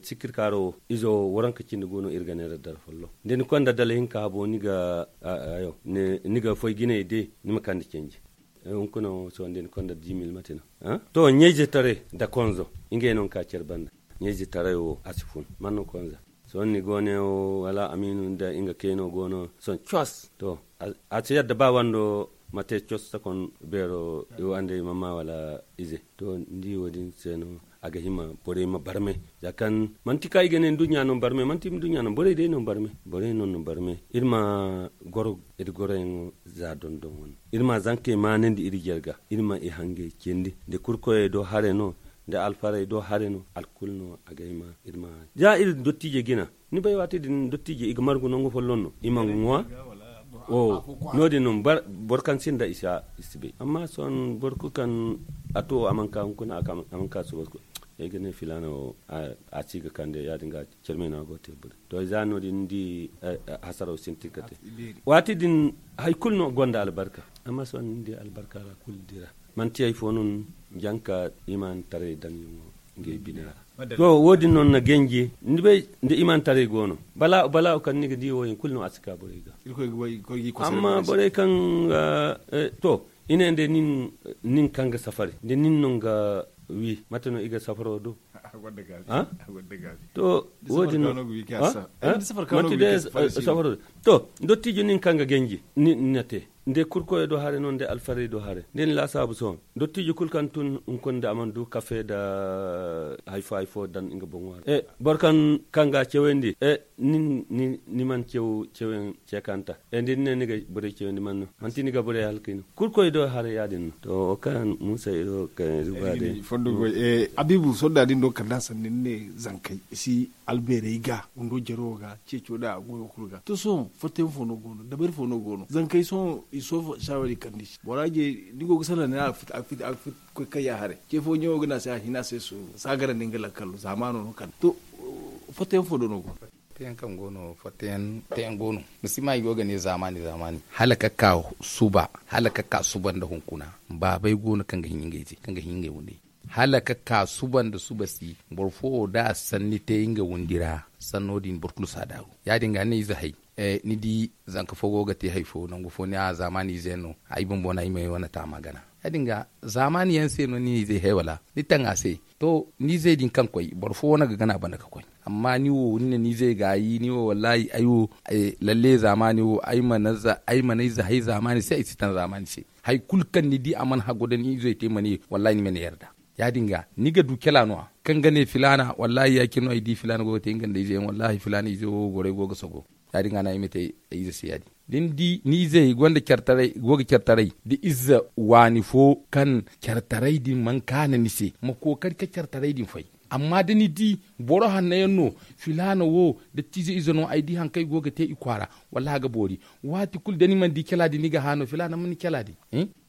Sikkir kaaro wo izo waranka cindi go no iri ga ne ra dara folloŋ da ni konda dala hinka habo ni ga foy jinay de ni ma kande canji. Hunkuna wo sohõ da ni konda dix mille mate no. To ɲayze taray nda konzo ngey no ka care banda. Ɲayze taray wo a si fun man no konza. Sohõ ni go ne wo wala amiinu nda nga kayno go no sohõ cos to. A si yadda ba wando ma te cos sakon beero i wande i ma ma wala ize. To ni di wo- din se no a ga hima borey ma barmay. Za kaŋ manti kaŋ i ga ne nduɲɲa no barmay manti nduɲɲa no borey day no barmay. Borey no no barmay iri ma goro iri goroyaŋo za dondon wane. Iri ma zankey maanandi iri jarga iri ma i hangey cindi nda kurkoyey do hare no nda alfarey do hare no alkul no a ga hima. Iri ma za iri dottiijey jina ni bay waati din dottiijey i ga margu nangu folloŋ no i ma ŋwa. No- din no boro kaŋ sinda i si bay amma sohõ boro kulu kaŋ a to a mana ka hunkuna a mana ka suba. Ay ga ne filaana wo a si ga kande ya- din ga care me no a go te bure. To za no- din ni di hasaraw sintin ka te waati din hari kulu no gonda albarka. Amma sohõ ni di albarka ra kulu dira manti hari fo no ni janka imaani taray daŋ yaŋo ngey bine ra. To wo- din no ni na ganji ni bay nda imaani taray go no balaawo kaŋ ni ga di wo- din kulu no a si ka borey ga. Amma borey kaŋ ga to i ne nda nin kaŋ ga safari nda nin no ga wi mate no i ga safaro do? To wo- din no safaro do. To dottijo nin kaŋ ga ganji ni na te nda kurkoyo do hare no nda alfarey do hare nda ni laasaabu sohõ. Dottijo kulu kaŋ tun hunkuna nda a mana du kafe nda hari fo hari fo daŋ nga boŋo ra boro kaŋ ga a cewandi. Ni mana cew cewayaŋ ceekanta nda ni ne ni ga borey cewandi man no manti ni ga borey halkay no kurkoy do haray ya- din no. To wo kaŋ muusa iri wo kaŋ iri ba day. Fondo goy abiibu sohõ da din do kala da sanni ni ne zankey i si albeerey ga wando jaro ga ceeco da a goyo kulu ga to sohõ fattayaŋ fo no go no dabari fo no go no zankey sohõ i sohõ saawari kande i se bora je ni go ga salaŋ ne a ga fit a ga fit a ga fit koy kayya haray ce fo ɲaŋo ga ne a se a hina a se sooru saagarandi nga lakkal zaamaano no kande to fattayaŋ fo do no go no. Fattayaŋ kaŋ go no fattayaŋ go no. Ni si ma i go ga ne zaamaani zaamaani hala ka ka suba hala ka ka suba nda hunkuna baabey go no kaŋ ga hin ngey te kaŋ ga hin ngey wundey. Hala ka ka suba nda suba si boro fo wo da a sanni te nga windi ra sanno din boro kulu si a daabu ya- din ga ni na ize hay. Ni di zanka fo go ga te hari fo nangu fo ni a zaamaani ize yaŋ no ay bumbo no ay ma ay wane taama gana ya- din ga zaamaani yaŋ se no ni na ize hay wala ni taŋ a se. To, ni zey din kaŋ koy boro fo wane ga gana banda ga koy. Amma ni wo ni ne ni zey gaayi ni wo wallaahi ay wo lalle zaamaani wo ay mana ay zahey zaamaani se ay si taŋ zaamaani se. Hari kulu kaŋ ni di a mana haggu nda ni izey te ma ne wallaahi ni mana yarda. Ya- din ga ni ga du cala no- ya kaŋ ga ne filaana wallaahi ya- cine no ay di filaana go ga te nga nda ize yaŋ wallaahi filaana ize wo gorey go ga sogo. Ya- din ga no ay ma te ay ize se ya- din da ni di ni izey go ga care taray da ize waani fo kaŋ care taray din mana kaanu ni se ma kookari ka care taray din fay. Amma da ni di boro hanno yaŋ no filaana wo dattiize ize no ay di hari kaŋ i go ga te i kwaara. Wallahi a ga boori. Waati kulu da ni mana di cala din ni ga hã no filaana mana cala din.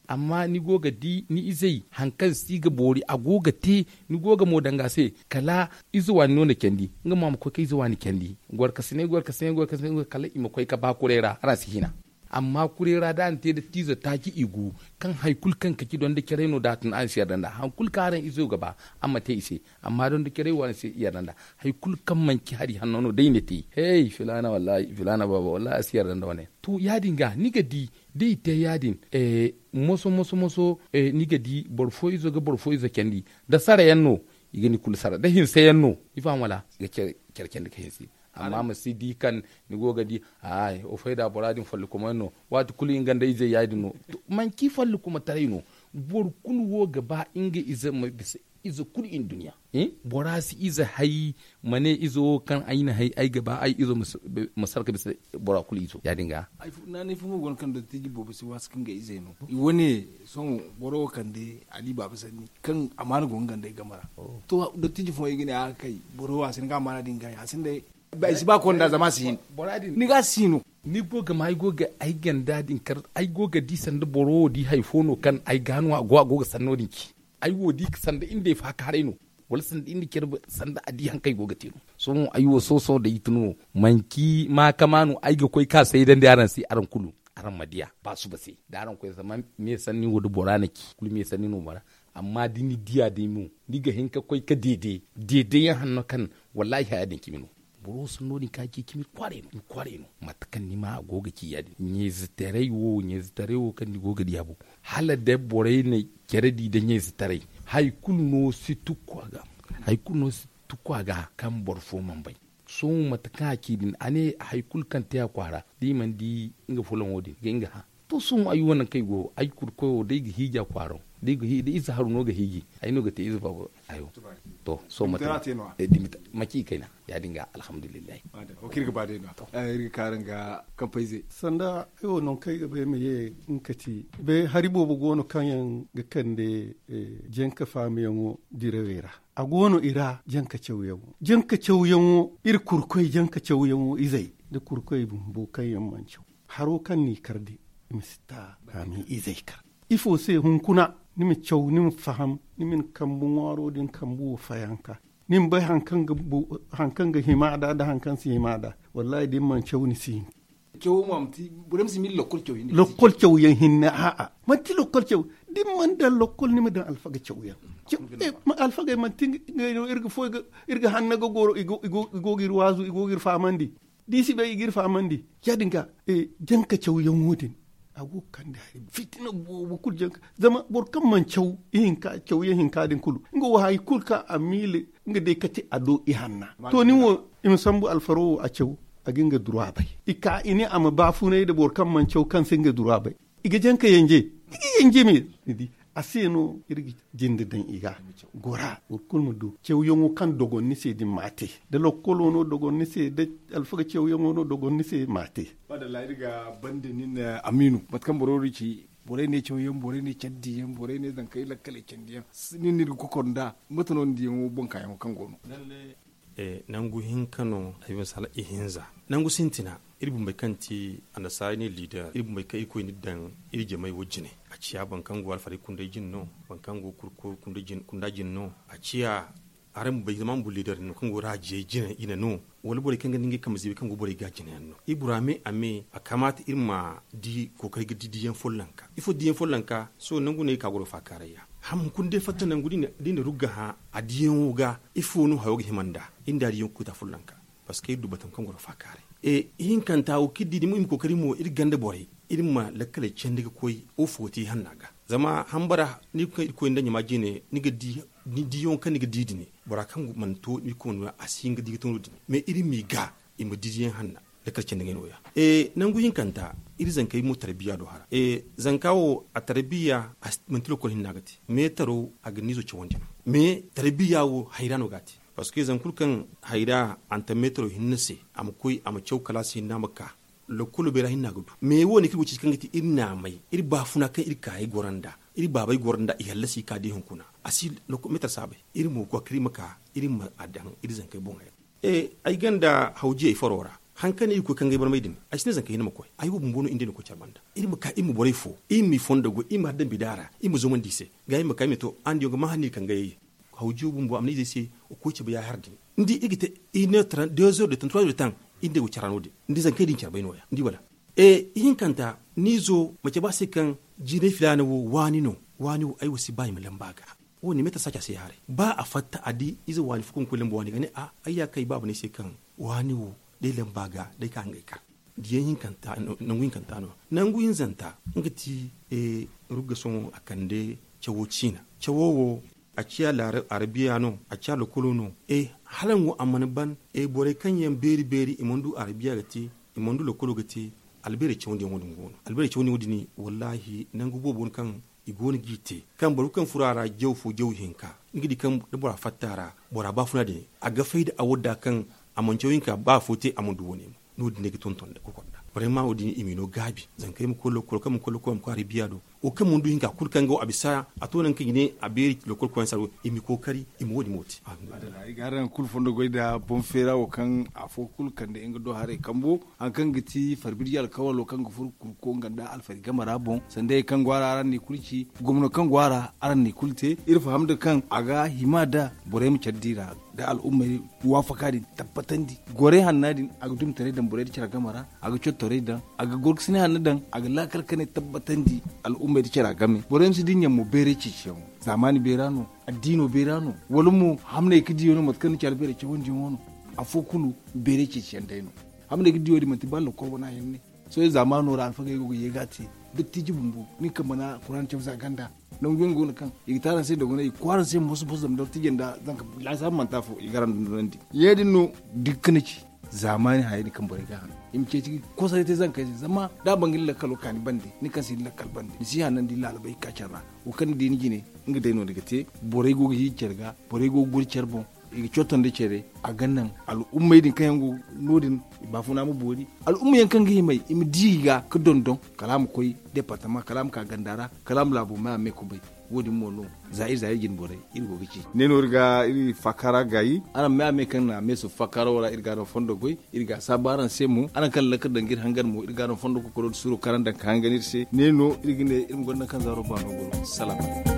Amma ni go ga di ni izey hari kaŋ si ga boori a go ga te. Ni go ga mo danga se kala ize waani no na candi nga mo a ma koy ka ize waani candi. Gorkasinay gorkasinay gorkasinay kala i ma koy ka ba kuray ra araŋ si hina. Amma kuray ra da a na te dattiizo taaci i gu kaŋ hari kulu kaŋ kaci donda caray no da a tun araŋ si yarda nd'a hari kulu kaŋ araŋ izo ga ba araŋ ma te i se. Amma donda caray wo araŋ si yarda nd'a. Hari kulu kaŋ manci hari hanno no day na te hey filaana wallaahi filaana baaba wallaahi a si yarda nda wane. To ya- din ga ni ga di da i te ya- din moso moso moso ni ga di boro fo izo ga boro fo izo candi. Da sara yaŋ no i ga ni kulu sara da hinse yaŋ no i faham wala i ga care candi ga hinse. Amma ma si di kaŋ ni go ga di ay o fayda bora din fallukumay no. Waati kulu nga nda izey ya- din no. Manci fallukumataray no. Boro kulu wo ga ba nga ize ma bisa ize kulu i na duniya. Bora si ize hay ma ne ize wo kaŋ ay na hay ay ga ba ay izo ma sara ga bisa bora kulu izo ya- din ga. Naanay fo mo go no kaŋ dottiiji boobo si waasi kaŋ ga izey no i wane sohõ boro wo kande ali baaba sanni kaŋ amaana go nga nda ay game ra. To dottiiji fo ay ga ne a ga kay boro wo a si hin ga amaana din ga ya sinda ay si ba konda zama a si hin. Ni ga si no. Ni go ga ma ay go ga ay ganda din kar ay go ga di sanda boro wo di hari fo no kaŋ ay ga no a go a go ga sanno din ci. Ay wo di sanda nga day faakaaray no wala sanda nga care sanda a di hari kaŋ ay go ga te no. Sohõ ay wo sohõ sohõ day i tun wo manci maakama no ay ga koy ka saydandi araŋ se araŋ kulu. Araŋ ma diya ba suba se da araŋ koy zama me sanni wo da bora na ci kulu me sanni no bora. Amma da ni diya day mo ni ga hin ka koy ka deede deede yaŋ hanno kaŋ wallaahi haya din cimi no. Boro wo sanno din ka ci cimi kwaaray no mate kaŋ ni ma a go ga ci ya- din ɲeezitaray wo ɲeezitaray wo kaŋ ni go ga diya boŋ hala day borey na care di nda ɲeezitaray. Hari kulu no si tukku a ga hari kulu no si tukku a ga kaŋ boro fo mana bay. Sohõ mate kaŋ a ci din a ne hari kulu kaŋ te a kwaara da i mana di nga fulaŋo din ga nga hã. To sohõ ay wo nangu kaŋ ay go ay kurkoyo da ay ga hiiji a kwaaro da ize haru no ga hiiji ay no ga te ize baabo. Ayo. To sohõ mate kaŋ a te no- ya mac'i kayna ya- din ga alhamdulillahi. Iri ga ka araŋ ga kampayze. Sanda ay wo nangu kaŋ ay ga bay ma ye nga kati bay hari boobo go no kaŋ yaŋ ga kande janka faamayaŋo dirawey ra. A go no i ra janka cawyaŋo janka cawyaŋo iri kurkoy janka cawyaŋo izey nda kurkoy bumbo kaŋ yaŋ mana caw. Haro kaŋ n'i kar day i ma si ta a ma i izey kar. Ifo se hunkuna ni ma caw ni ma faham ni ma ni kambu ŋwaaro din kambu wo fayanka. Ni ma bay hari kaŋ ga hima nd'a nda hari kaŋ si hima nd'a. Wallaahi da ni mana caw ni si hin. Lokkol caw yaŋ hinne a'a manti lokkol caw. Da ni mana daŋ lokkol ni ma daŋ alfaga caw yaŋ. Alfagey manti ngey no iri ga hanna ga goro i go ga iri waazu i go ga iri fahamandi. Da i si bay i ga iri fahamandi ya- din ga janka cawyaŋo din. A go ga kande hari fitina boobo kulu janka zama boro kaŋ mana caw ihinka cawyaŋ hinka din kulu nga wo hari kulu kaŋ a miila nga day kate a do i hanna. To nin wo i ma sambu alfaro wo a caw a ga nga dura bay. I ka i ne a ma baafunay nda boro kaŋ mana caw kaŋ si nga dura bay. I ga janka yanje i ga yanje me. Ni di a se no iri ga jinde daŋ i ga gora boro kulu ma du cawyaŋo kaŋ dogon ni se din ma a te. Da lokkolo no dogon ni se da alfaga cawyaŋo no dogon ni se ma a te. Madalla iri ga bande nin amiinu mate kaŋ boro wo ci. Borey ne cawyaŋ borey ne care diyaŋ borey ne zankey lakkaley candi yaŋ. Nin no iri ga kokor nd'a mate no ni diyaŋo boŋ kaayaŋo kaŋ go no? Nangu hinka no ay ma sala ihinza. Nangu sintina iri bumbey kaŋ ti annasaara ne liider iri bumbey kaŋ irkoy n'iri daŋ iri jamey wo jine. A ciya boro kaŋ go alfaray kunday jine no boro kaŋ go kurko kunda jine no a ciya. Araŋ bumbey zama araŋ bumbey liider no kaŋ go raajiyey jine i na no wala borey kaŋ ga ne ngey kambe ziibey kaŋ go borey ga jine yaŋ no iri bora me a me a kamaata iri ma di kookari ga di diyaŋ follonka ifo diyaŋ follonka. Sohõ nangu no iri ka goro faakaaray ya. Ham hunkuna day fatta nangu da i na rugga hã a diyaŋo ga ifo no hayo ga hima nd'a? Iri nda a diyaŋo ga koy ta follonka. Parceque iri du batama kaŋ goro faakaaray. Ihinkanta wo kaŋ iri di da iri ma kookari mo iri ganda borey iri ma lakkaley candi ga koy wo fo ga te ihanna ga. Zama hambara ni ga kaŋ iri koy nda ɲama jine ni ga di Ni diyaŋo kaŋ ni ga di din, bora kaŋ mana to ni koy no a si hin ga di ga to no- din. Mais iri m'i ga i ma di diyaŋ hanna. Lakkal candi ngey no- ya. Nangu hinkanta, iri zankey mo tarbiya do hara. Zanka wo a tarbiya, manti lokol hinna ga te. Meetaro a ga niizo cawandi no. Mais tarbiya wo hayra no ga a te. Parce que zan kulu kaŋ hayra a na ta meetaro hinne se, a ma koy a ma caw kalaasi hinne a ma ka. Lokkolo beera hinne a ga du. Mais wo- ne kaŋ iri go ceeci kaŋ ga ti iri naamay, iri baafuna kaŋ iri kaayey goro nd'a, iri baabey goro nd'a i hallasi i ka di hunkuna. A si meetar saabay. Iri mo ga koy kala iri ma ka, iri ma a daŋ iri zankey boŋey ra. Ay ganda hawjiyey faro ra. Haŋ kaŋ no iri ga koy kangay barmay din, ay si ne zanka hinne ma koy. Ay wo bumbo no iri nd'ey na koy care banda. Iri ma ka iri ma borey fo, iri m'i fondo goy, iri ma har dambi daara, iri ma zomandi i se. Ga iri ma ka iri ma to araŋ diyaŋ ga ma hanni kangayey. Hawjiyo bumbo a ma ne izey se, wa koy cabe yaahar din. Ni di iri ga te, iri ne deezer de tan trois de tan. Iri nd'ey go cara no- din ni di zankey din care bay no- ya ni di wala? Ihinkanta, ni izo ma cabe a se kaŋ jinay filaana wo waani no. Waani wo ay wo si ba i ma lamba a ga. Wo- ne meetar saaca se ya haray. Ba a fatta a di ize waani fo kaŋ ga koy lamba waani ga ne a, ay ya kaŋ ay baaba ne ay se kaŋ waani wo, day lamba ga day ka ngey kar. Diyaŋ hinkanta, nangu hinkanta no. Nangu hinzanta, nga ti rugga sohõ a kande cawo ciina. Cawo wo, a ciya arabiya no, a ciya lokolo no. Hala nga wo a mana ban borey kaŋ yaŋ beeri beeri i mana du arabiya ga te, i mana du lokolo ga te. Albeerey cawandiyaŋo din go no. Albeerey cawandiyaŋo din, wallaahi nangu boobo no kaŋ i go no g'i te. Kaŋ boro kulu kaŋ furo a ra jaw fo jaw hinka, nga di kaŋ da bora fatta a ra, bora baafuna din a ga fay da a wadda kaŋ a mana caw hinka ba afo te a mana du wo- ne mo. No- din day ga tonton nda kokor nda. Borey ma wo- din i m'i no gaabi. Zankey ma koy lokol kaŋ mana koy lokol a ma koy arabiya do. Wo kaŋ mana du hinka kulu kaŋ ga wo a bisa a to nangu kaŋ i ne a beeri lokol koyaŋ se a go, i m'i kookari i ma wo- din mo te. Ay ga araŋ kulu fondo goy nda boŋ feera wo kaŋ afo kulu kande nga do haray kambo. Haŋ kaŋ ga ti farbirji alkawalo kaŋ ga furo kurko nga nda alfari game ra boŋ sanda hari kaŋ go a ra araŋ n'i kulu ci. Gomno kaŋ go a ra araŋ n'i kulu te. Iri faham nda kaŋ a ga hima nda borey ma care di ra, nda al'ummey waafaka din tabbatandi. Gorey hanna din a ga dumi taray daŋ borey nda care game ra. A ga cottoray daŋ, a ga gorgasine hanna daŋ, a ga laakal kanay tabbatandi. Al'ummey nda care game borey ma si dinya mo bayray ceeciyaŋo. Zaamaani bayra no, addiino bayra no, wala mo hamney ga diyo no mate kaŋ ni care bayray cawandiyaŋo no. Afo kulu bayray ceeciyaŋ day no. Hamney ga diyo din manti ba lokol wana yaŋ ne. Sohõ zaamaano ra alfagey go ga ye ga a te. Dottiiji bumbo nin kaŋ mana kuraana caw za ganda. Nangu yaŋ go no kaŋ i ga te araŋ se dogonay i ga koy araŋ se moso moso zama dottiijey nda zanka laasaabu manti afo i ga araŋ dondonandi. Ya- din no dukka ni ci. Zaamaani hayey din kaŋ borey ga a haŋ i ma ceeci ga kosaray te zankey se zama da a ban ga ni lakkalo ka ni bande ni kaŋ si ni lakkal bande ni si hanandi laalabey ga ka care ra. Wo kaŋ ni di ni jine nga day no ni ga te. Borey go ga hiiji care ga, borey go ga guri care boŋ. I ga cotto nda care a ga naŋ al'ummey din kaŋ yaŋ go no- din i baafuna ma boori. Al'umma yaŋ kaŋ ga himay i ma di i ga ga dondon kala a ma koy departama kala a ma ka ganda ra. Kala a ma laabo me a me kubay. Wo- din mo no za iri za iri jine borey iri go ga ci. Ne no iri ga iri faakara gaayi. Araŋ me a me kaŋ na a me su faakaro ra iri ga araŋ fondo goy. Iri ga a saabu araŋ se mo araŋ kaŋ lakkal daŋ ga iri hangan mo iri ga araŋ fondo kokoro nda suuro kaŋ araŋ daŋ ka hangan iri se ne no iri ga ne iri ma gonda kaŋ zaaro baano go no. Salaam.